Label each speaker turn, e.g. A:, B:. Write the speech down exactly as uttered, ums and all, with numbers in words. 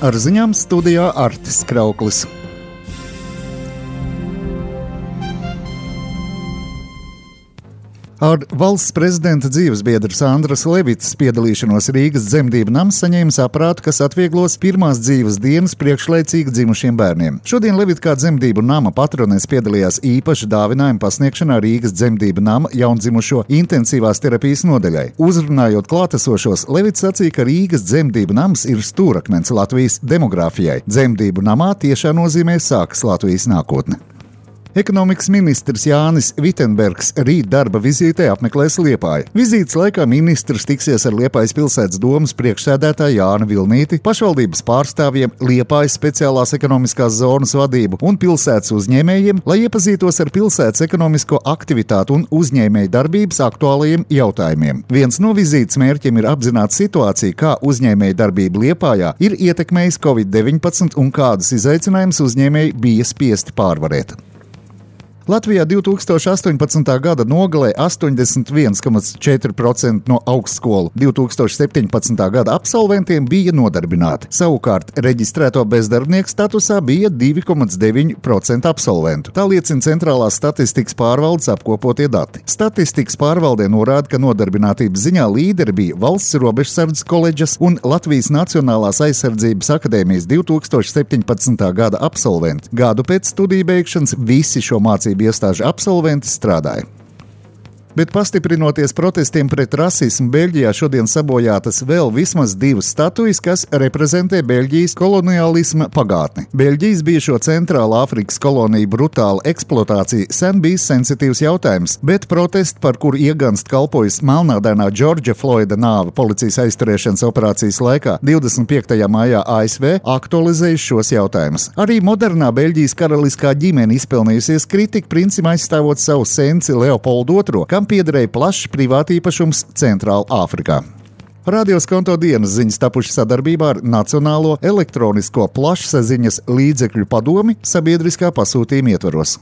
A: Ar ziņām studijā Artis Krauklis. Ar valsts prezidenta dzīvesbiedra Sandras Levicas piedalīšanos Rīgas dzemdību nams saņēmis aparātu, kas atvieglos pirmās dzīves dienas priekšlaicīgi dzimušiem bērniem. Šodien Levitkā dzemdību nama patronēs piedalījās īpaši dāvinājuma pasniegšanā Rīgas dzemdību nama jaundzimušo intensīvās terapijas nodaļai. Uzrunājot klātesošos, Levits sacīja, ka Rīgas dzemdību nams ir stūrakmens Latvijas demogrāfijai. Dzemdību namā tiešā nozīmē sākas Latvijas nākotne. Ekonomikas ministrs Jānis Vitenbergs rīt darba vizītē apmeklēs Liepāju. Vizītes laikā ministrs tiksies ar Liepājas pilsētas domas priekšsēdētāju Jāni Vilnīti, pašvaldības pārstāvjiem, Liepājas speciālās ekonomiskās zonas vadību un pilsētas uzņēmējiem, lai iepazītos ar pilsētas ekonomisko aktivitātu un uzņēmēju darbības aktuālajiem jautājumiem. Viens no vizītes mērķiem ir apzināt situāciju, kā uzņēmēju darbība Liepājā ir ietekmējis covid deviņpadsmit un kādas izaicinājumus uzņēmēji bija spiesti pārvarēt. Latvijā divi tūkstoši astoņpadsmitā gada nogalē astoņdesmit viens komats četri procenti no augstskolu divi tūkstoši septiņpadsmitā gada absolventiem bija nodarbināti. Savukārt reģistrēto bezdarbnieku statusā bija divi komats deviņi procenti absolventu. Tā liecina Centrālās statistikas pārvaldes apkopotie dati. Statistikas pārvaldē norāda, ka nodarbinātības ziņā līderi bija Valsts robežsardzes koledžas un Latvijas Nacionālās aizsardzības akadēmijas divi tūkstoši septiņpadsmitā gada absolventi. Gadu pēc studiju beigšanas visi šo mācību iestāžu absolventi strādāja. Bet pastiprinoties protestiem pret rasismu, Beļģijā šodien sabojātas vēl vismaz divas statujas, kas reprezentē Beļģijas koloniālisma pagātni. Beļģijas bijušo Centrālā Afrikas koloniju brutāla eksploatācija sen bijis sensitīvs jautājums, bet protesti, par kuru ieganst kalpojas melnādainā Džordža Floida nāve policijas aizturēšanas operācijas laikā divdesmit piektajā maijā A S V, aktualizējuši šos jautājumus. Arī modernā Beļģijas karaliskā ģimene izpelnījusies kritiku princim aizstāvot savu senci Leopoldu otro, kam piederēja plašs privātīpašums Centrāla Āfrikā. Radio Skonto dienas ziņas tapuši sadarbībā ar Nacionālo elektronisko plašsaziņas līdzekļu padomi sabiedriskā pasūtījuma ietvaros.